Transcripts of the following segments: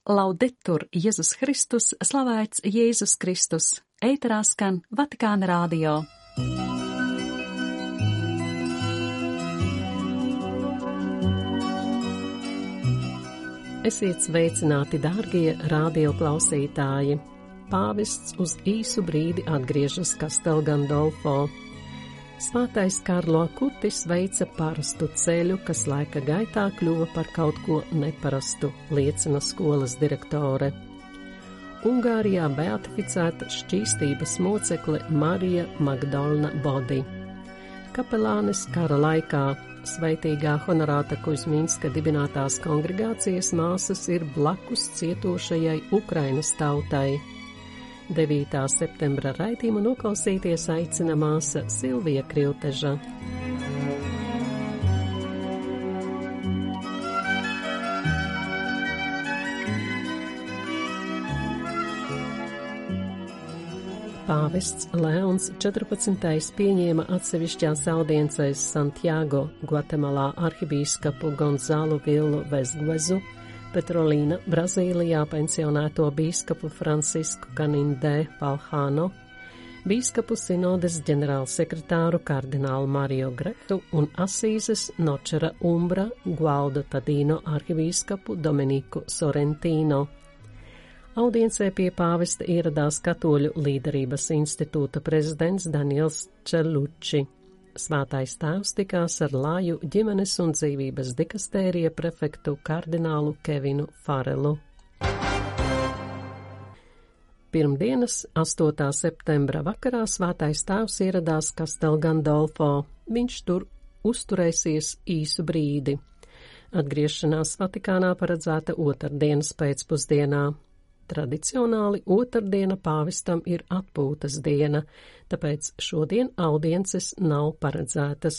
Laudetur Jēzus Kristus, slavēts Jēzus Kristus, ēterā skan Vatikāna radio. Esiet sveicināti, dārgie radio klausītāji! Pāvests uz īsu brīdi atgriežas Castel Gandolfo. Svētais Karlo Kutis veica parastu ceļu, kas laika gaitā kļuva par kaut ko neparastu, liecina skolas direktore. Ungārijā beatificēta šķīstības mocekle Marija Magdalna Bodi. Kapelānis kara laikā sveitīgā Honorāta Kuzminska dibinātās kongregācijas māsas ir blakus cietošajai Ukrainas tautai. 9. septembra raidījumu noklausīties aicina māsa Silvija Krilteža. Pāvests Leons 14. pieņēma atsevišķās audiencēs Santiago, Gvatemalā arhibīskapu Gonzālu Villu Vesguezu, Petrolīna Brazīlijā pensionēto bīskapu Francisku Canindé Palhano, bīskapu sinodes ģenerālsekretāru kardinālu Mario Gretu un Asīzes Nočera Umbra Gualdo Tadino arhibīskapu Dominiku Sorrentino. Audiencē pie pāvesta ieradās Katoļu līderības institūta prezidents Daniels Čeluči. Svētais tēvs tikās ar Lāju ģimenes un dzīvības dikastērija prefektu kardinālu Kevinu Farelu. Pirmdienas 8. septembra vakarā svētais tēvs ieradās Castel Gandolfo. Viņš tur uzturēsies īsu brīdi. Atgriešanās Vatikānā paredzēta otrdienas pēcpusdienā. Tradicionāli otrdiena pāvestam ir atpūtas diena, tāpēc šodien audiences nav paredzētas.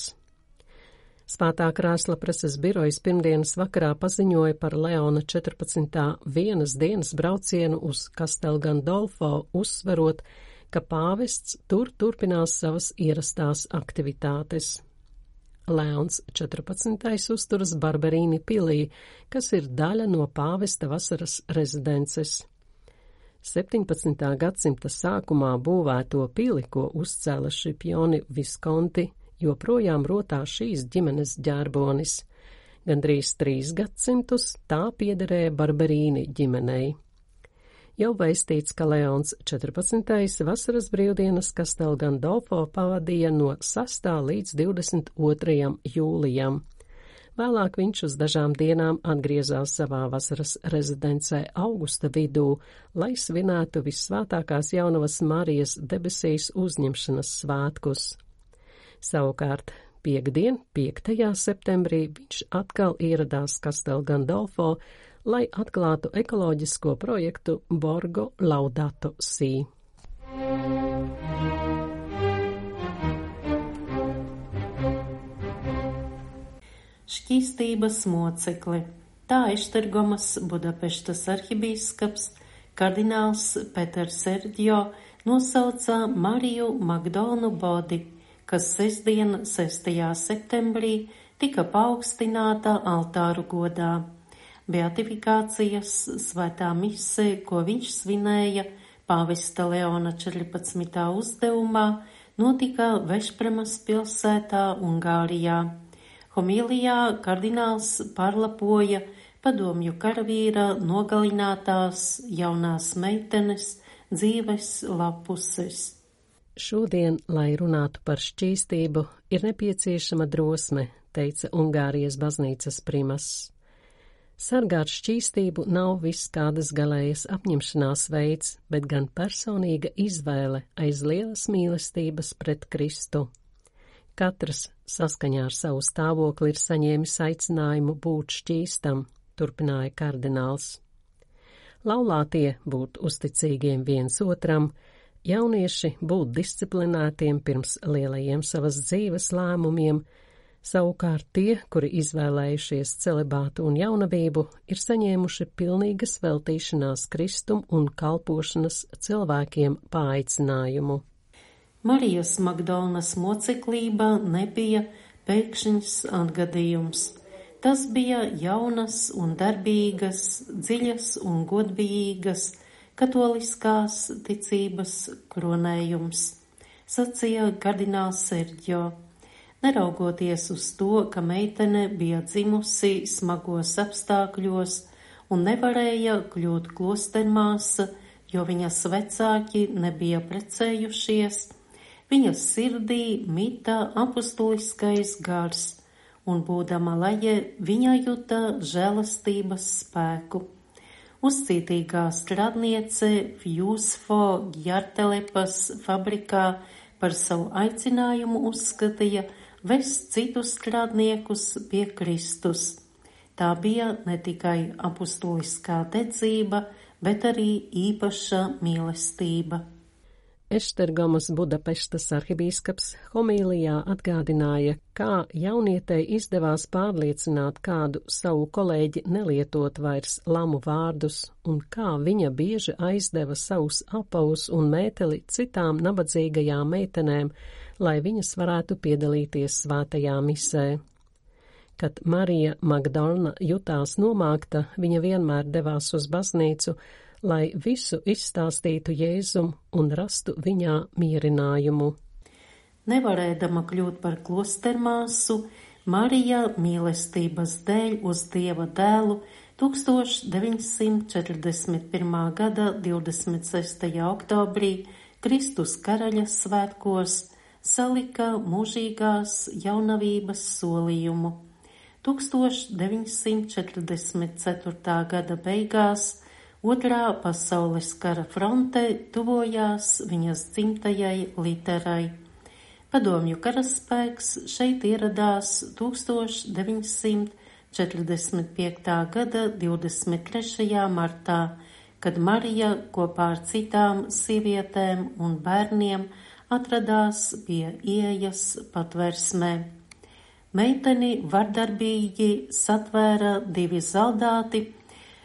Svētā krēsla preses birojas pirmdienas vakarā paziņoja par Leona 14. vienas dienas braucienu uz Castel Gandolfo, uzsverot, ka pāvests tur turpinās savas ierastās aktivitātes. Leons 14. uzturas Barberīni pilī, kas ir daļa no pāvesta vasaras rezidences. 17. gadsimta sākumā būvēto pili, ko uzcēla Šipioni Viskonti, joprojām rotā šīs ģimenes ģērbonis. Gandrīz 3 gadsimtus tā piederēja Barberīni ģimenei. Jau vēstīts, ka Leons 14. vasaras brīvdienas Castel Gandolfo pavadīja no 6. līdz 22. jūlijam. Vēlāk viņš uz dažām dienām atgriezās savā vasaras rezidencē augusta vidū, lai svinētu Vissvētākās jaunavas Marijas debesīs uzņemšanas svētkus. Savukārt, piektdien, 5. septembrī, viņš atkal ieradās Castel Gandolfo, lai atklātu ekoloģisko projektu Borgo Laudato Si. Šķīstības mocekli. Tā Eštergomas Budapeštas arhibīskaps kardināls Peters Sergio nosauca Mariju Magdalnu Bodi, kas sestdien 6. septembrī tika paaugstināta altāru godā. Beatifikācijas svētā mise, ko viņš svinēja pāvesta Leona 14. uzdevumā, notika Vešpremas pilsētā, Ungārijā. Homīlijā kardināls parlapoja padomju karavīra nogalinātās jaunās meitenes dzīves lapuses. Šodien, lai runātu par šķīstību, ir nepieciešama drosme, teica Ungārijas baznīcas primas. Sargāt šķīstību nav viss kādas galējas apņemšanās veids, bet gan personīga izvēle aiz lielas mīlestības pret Kristu. Katrs saskaņā ar savu stāvokli ir saņēmis aicinājumu būt šķīstam, turpināja kardināls. Laulātie būt uzticīgiem viens otram, jaunieši būt disciplinētiem pirms lielajiem savas dzīves lēmumiem, savukārt tie, kuri izvēlējušies celibātu un jaunavību, ir saņēmuši pilnīgas veltīšanās Kristum un kalpošanas cilvēkiem paaicinājumu. Marijas Magdalnas moceklība nebija pēkšņs atgadījums. Tas bija jaunas un darbīgas, dziļas un godbijīgas katoliskās ticības kronējums, sacīja kardināls Sergio. Neraugoties uz to, ka meitene bija dzimusi smagos apstākļos un nevarēja kļūt klostermāsa, jo viņas vecāki nebija precējušies, viņas sirdī mita apustuliskais gars, un būdama leje, viņa juta žēlastības spēku. Uzcītīgā strādniece Fjūsfo Gjartelepas fabrikā par savu aicinājumu uzskatīja vest citus strādniekus pie Kristus. Tā bija ne tikai apustuliskā dedzība, bet arī īpaša mīlestība. Eštergomas Budapeštas arhibīskaps homīlijā atgādināja, kā jaunietei izdevās pārliecināt kādu savu kolēģi nelietot vairs lamu vārdus un kā viņa bieži aizdeva savus apavus un mēteli citām nabadzīgajām meitenēm, lai viņas varētu piedalīties svētajā misē. Kad Marija Magdalna jutās nomākta, viņa vienmēr devās uz baznīcu, lai visu izstāstītu Jēzum un rastu viņā mierinājumu. Nevarēdama kļūt par klostermāsu, Marija mīlestības dēļ uz Dieva dēlu 1941. gada 26. oktobrī Kristus karaļa svētkos salika mūžīgās jaunavības solījumu. 1944. gada beigās Otrā pasaules kara fronte tuvojās viņas dzimtajai Literai. Padomju karaspēks šeit ieradās 1945. gada 23. martā, kad Marija kopā ar citām sievietēm un bērniem atradās pie ieejas patversmē. Meiteni vardarbīgi satvēra divi zaldāti.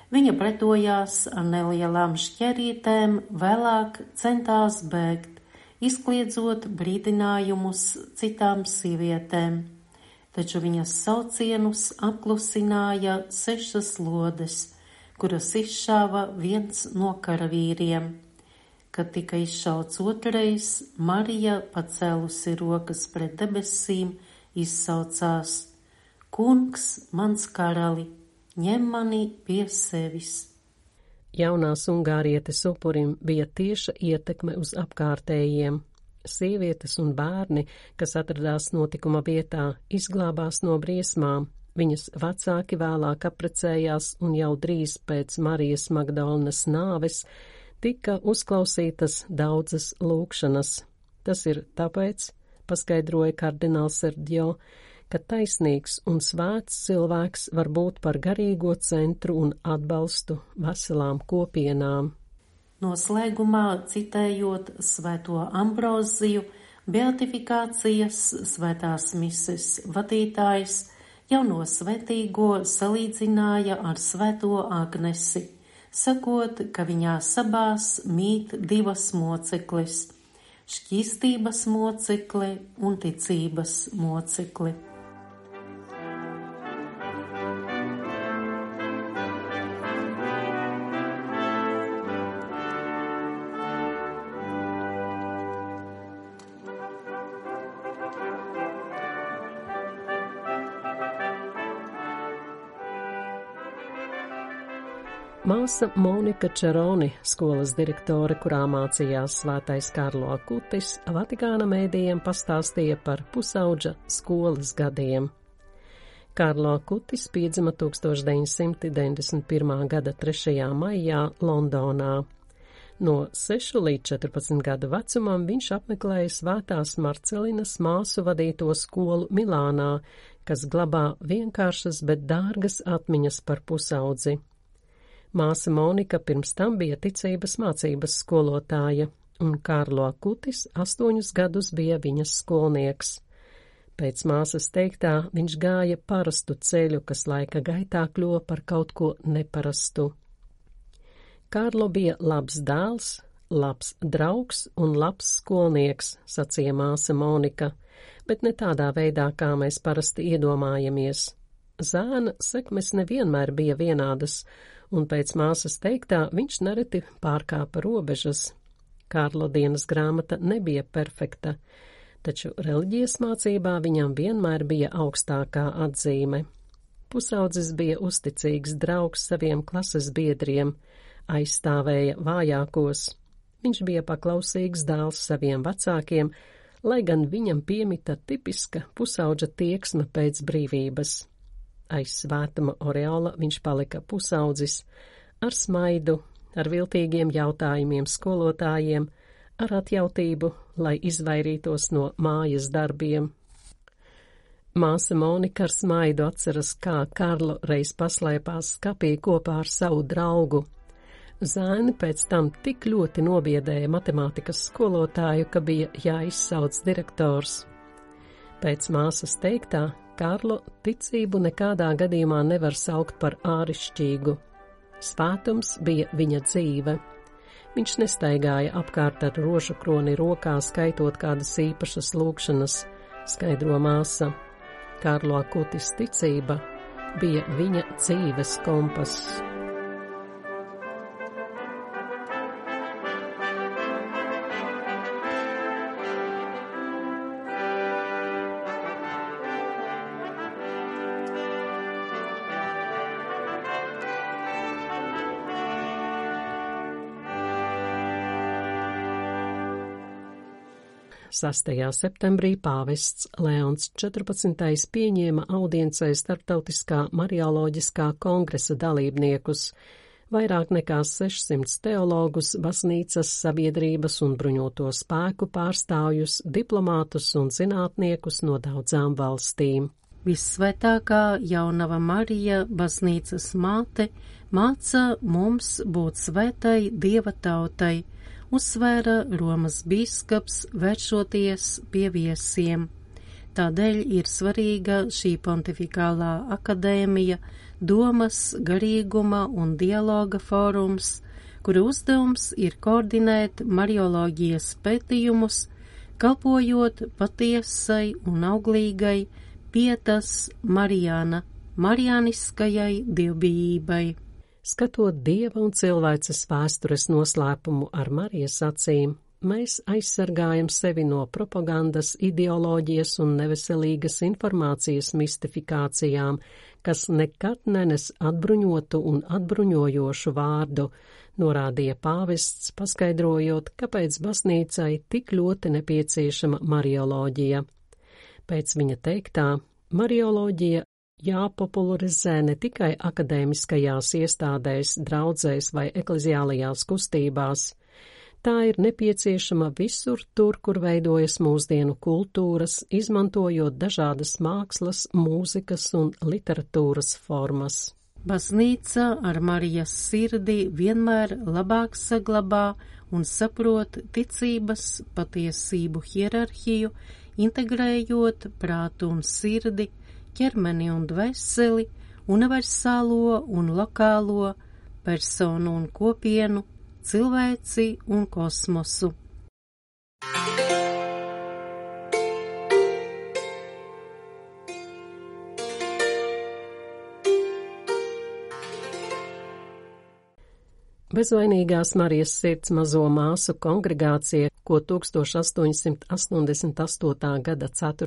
Viņa pretojās ar nelielām šķerītēm, vēlāk centās bēgt, izkliedzot brīdinājumus citām sievietēm, taču viņas saucienus apklusināja 6 lodes, kuras izšāva viens no karavīriem. Kad tika izšauts otrais, Marija, pacēlusi rokas pret debesīm, izsaucās: Kungs, mans karali, ņem mani pie sevis. Jaunās ungārietes upurim bija tieša ietekme uz apkārtējiem. Sievietes un bērni, kas atradās notikuma vietā, izglābās no briesmām. Viņas vecāki vēlāk apprecējās un jau drīz pēc Marijas Magdalnas nāves tika uzklausītas daudzas lūgšanas. Tas ir tāpēc, paskaidroja kardināls Sergio, ka taisnīgs un svēts cilvēks var būt par garīgo centru un atbalstu veselām kopienām. Noslēgumā citējot svēto Ambroziju, beatifikācijas svētās mises vadītājs jauno svētīgo salīdzināja ar svēto Agnesi, sakot, ka viņā sabās mīt divas mocekles – šķīstības mocekle un ticības mocekle. Māsa Monika Čeroni, skolas direktore, kurā mācījās svētais Karlo Akutis, Vatikāna mēdījiem pastāstīja par pusaudža skolas gadiem. Karlo Akutis piedzima 1991. gada 3. maijā Londonā. No 6 līdz 14 gadu vecumam viņš apmeklēja Svētās Marcelinas māsu vadīto skolu Milānā, kas glabā vienkāršas, bet dārgas atmiņas par pusaudzi. Māsa Monika pirms tam bija ticības mācības skolotāja, un Karlo Akutis 8 gadus bija viņas skolnieks. Pēc māsas teiktā viņš gāja parastu ceļu, kas laika gaitā kļuva par kaut ko neparastu. Karlo bija labs dēls, labs draugs un labs skolnieks, sacīja māsa Monika, bet ne tādā veidā, kā mēs parasti iedomājamies. Zēna sekmes nevienmēr bija vienādas, un pēc māsas teiktā viņš nereti pārkāpa robežas. Kārlo dienas grāmata nebija perfekta, taču reliģijas mācībā viņam vienmēr bija augstākā atzīme. Pusaudzis bija uzticīgs draugs saviem klases biedriem, aizstāvēja vājākos. Viņš bija paklausīgs dēls saviem vecākiem, lai gan viņam piemita tipiska pusauģa tieksme pēc brīvības. Aiz svētuma oreola viņš palika pusaudzis, ar smaidu, ar viltīgiem jautājumiem skolotājiem, ar atjautību, lai izvairītos no mājas darbiem. Māsa Monika ar smaidu atceras, kā Karlo reiz paslēpās skapī kopā ar savu draugu. Zēni pēc tam tik ļoti nobiedēja matemātikas skolotāju, ka bija jāizsauc direktors. Pēc māsas teiktā, Karlo ticību nekādā gadījumā nevar saukt par ārišķīgu. Svētums bija viņa dzīve. Viņš nestaigāja apkārt ar rožu kroni rokā, skaitot kādas īpašas lūgšanas, skaidro māsa. Karlo Akutis ticība bija viņa dzīves kompass. Sastajā septembrī pāvests Leons 14. pieņēma audiencē Starptautiskā Marioloģiskā kongresa dalībniekus, vairāk nekā 600 teologus, baznīcas, sabiedrības un bruņoto spēku pārstāvjus, diplomātus un zinātniekus no daudzām valstīm. Vissvētākā jaunava Marija, baznīcas māte, māca mums būt svētai Dieva tautai, uzsvēra Romas bīskaps, vēršoties pie viesiem. Tādēļ ir svarīga šī pontifikālā akadēmija, domas, garīguma un dialoga fórums, kura uzdevums ir koordinēt marioloģijas pētījumus, kalpojot patiesai un auglīgai pietas Marijāna, marijāniskajai dievbijībai. Skatot Dieva un cilvēces vēstures noslēpumu ar Marijas acīm, mēs aizsargājam sevi no propagandas, ideoloģijas un neveselīgas informācijas mistifikācijām, kas nekad nenes atbruņotu un atbruņojošu vārdu, norādīja pāvests, paskaidrojot, kāpēc baznīcai tik ļoti nepieciešama marioloģija. Pēc viņa teiktā, marioloģija jāpopularizē ne tikai akadēmiskajās iestādēs, draudzēs vai ekleziālajās kustībās. Tā ir nepieciešama visur tur, kur veidojas mūsdienu kultūras, izmantojot dažādas mākslas, mūzikas un literatūras formas. Baznīca ar Marijas sirdi vienmēr labāk saglabā un saprot ticības patiesību hierarhiju, integrējot prātu un sirdi, ķermeni un dvēseli, universālo un lokālo, personu un kopienu, cilvēci un kosmosu. Bezvainīgās Marijas sirds mazo māsu kongregācija, ko 1888. gada 4.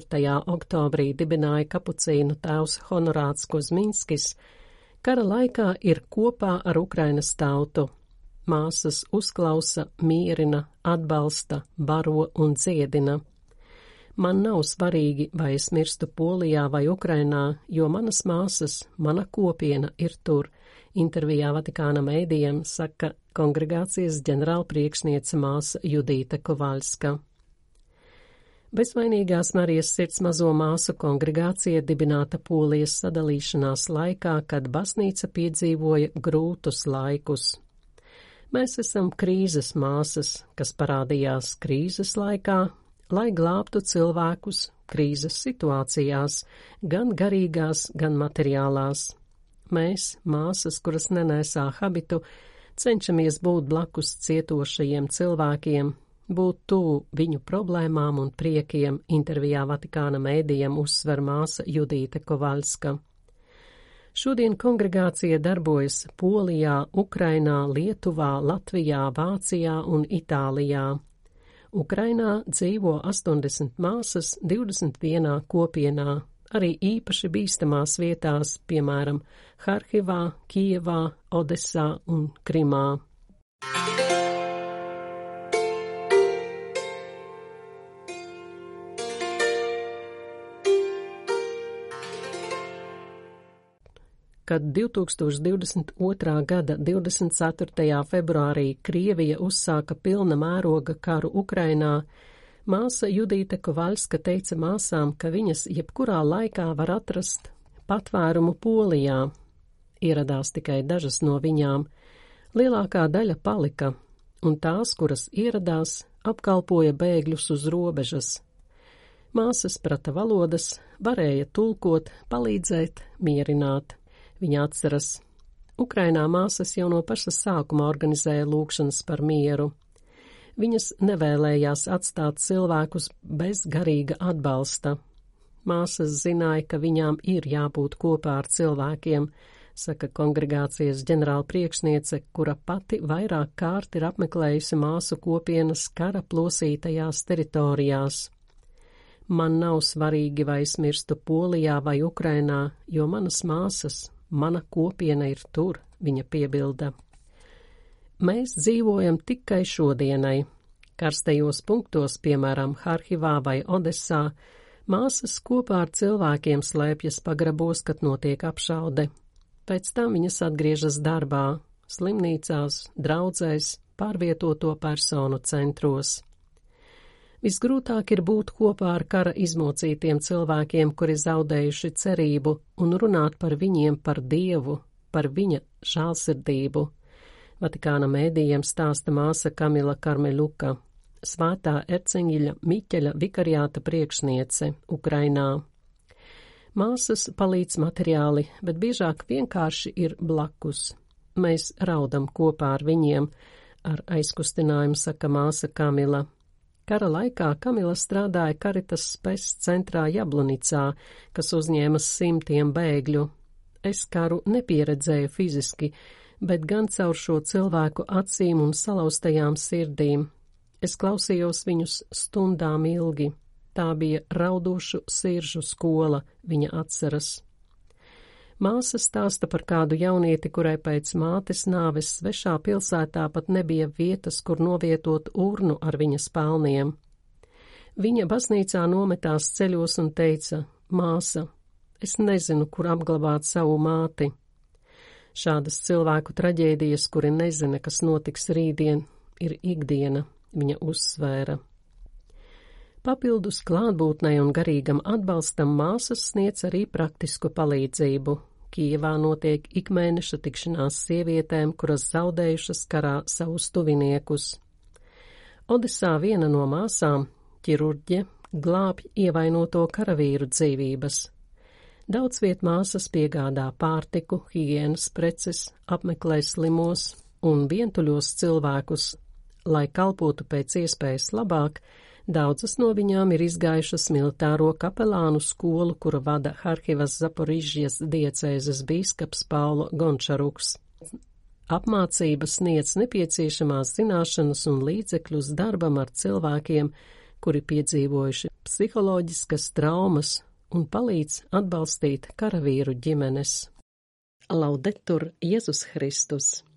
oktobrī dibināja kapucīnu tēvs Honorāts Kozminskis, kara laikā ir kopā ar Ukrainas tautu. Māsas uzklausa, mierina, atbalsta, baro un dziedina. Man nav svarīgi, vai es mirstu Polijā vai Ukrainā, jo manas māsas, mana kopiena ir tur. Intervijā Vatikāna mēdījiem saka kongregācijas ģenerālpriekšniece māsa Judīta Kovaļska. Bezvainīgās Marijas sirds mazo māsu kongregācija dibināta Polijas sadalīšanās laikā, kad baznīca piedzīvoja grūtus laikus. Mēs esam krīzes māsas, kas parādījās krīzes laikā, lai glābtu cilvēkus krīzes situācijās, gan garīgās, gan materiālās. Mēs, māsas, kuras nenēsā habitu, cenšamies būt blakus cietošajiem cilvēkiem, būt tuvu viņu problēmām un priekiem, intervijā Vatikāna mēdījiem uzsver māsa Judīta Kovaļska. Šodien kongregācija darbojas Polijā, Ukrainā, Lietuvā, Latvijā, Vācijā un Itālijā. Ukrainā dzīvo 80 māsas 21 kopienā, arī īpaši bīstamās vietās, piemēram, Harkivā, Kijevā, Odesā un Krimā. Kad 2022. gada 24. februārī Krievija uzsāka pilna mēroga karu Ukrainā, māsa Judīte Kovaļska teica māsām, ka viņas jebkurā laikā var atrast patvērumu Polijā. Ieradās tikai dažas no viņām. Lielākā daļa palika, un tās, kuras ieradās, apkalpoja bēgļus uz robežas. Māsas prata valodas, varēja tulkot, palīdzēt, mierināt. Viņa atceras, Ukrainā māsas jau no paša sākuma organizēja lūgšanas par mieru. Viņas nevēlējās atstāt cilvēkus bez garīga atbalsta. Māsas zināja, ka viņām ir jābūt kopā ar cilvēkiem, saka kongregācijas ģenerāla priekšniece, kura pati vairāk kārt ir apmeklējusi māsu kopienas kara plosītajās teritorijās. Man nav svarīgi, vai es mirstu Polijā vai Ukrainā, jo manas māsas, mana kopiena ir tur, viņa piebilda. Mēs dzīvojam tikai šodienai. Karstajos punktos, piemēram, Harkivā vai Odesā, māsas kopā ar cilvēkiem slēpjas pagrabos, kad notiek apšaude. Pēc tam viņas atgriežas darbā, slimnīcās, draudzēs, pārvietoto personu centros. Visgrūtāk ir būt kopā ar kara izmocītiem cilvēkiem, kuri zaudējuši cerību, un runāt par viņiem, par Dievu, par viņa žālsirdību. Vatikāna mēdījiem stāsta māsa Kamila Karmeļuka, Svētā Erceņģeļa Miķeļa vikariāta priekšniece Ukrainā. Māsas palīdz materiāli, bet biežāk vienkārši ir blakus. Mēs raudam kopā ar viņiem, ar aizkustinājumu saka māsa Kamila. Kara laikā Kamila strādāja Karitas Spes centrā Jablonicā, kas uzņēma 100 bēgļu. Es karu nepieredzēju fiziski, bet gan caur šo cilvēku acīm un salauztajām sirdīm. Es klausījos viņus stundām ilgi. Tā bija raudošu siržu skola, viņa atceras. Māsa stāsta par kādu jaunieti, kurai pēc mātes nāves svešā pilsētā pat nebija vietas, kur novietot urnu ar viņas pelniem. Viņa baznīcā nometās ceļos un teica, māsa, es nezinu, kur apglabāt savu māti. Šādas cilvēku traģēdijas, kuri nezina, kas notiks rītdien, ir ikdiena, viņa uzsvēra. Papildus klātbūtnei un garīgam atbalstam māsas sniedz arī praktisku palīdzību. Kijevā notiek ikmēneša tikšanās sievietēm, kuras zaudējušas karā savus tuviniekus. Odesā viena no māsām, ķirurģe, glābj ievainoto karavīru dzīvības. Daudz viet māsas piegādā pārtiku, higienas preces, apmeklē slimos un vientuļos cilvēkus, lai kalpotu pēc iespējas labāk. Daudzas no viņām ir izgājušas militāro kapelānu skolu, kuru vada Harkivas Zaporižģijas diecēzes bīskaps Paulo Gončaruks. Apmācības sniedz nepieciešamās zināšanas un līdzekļus darbam ar cilvēkiem, kuri piedzīvojuši psiholoģiskas traumas un palīdz atbalstīt karavīru ģimenes. Laudetur Jēzus Kristus!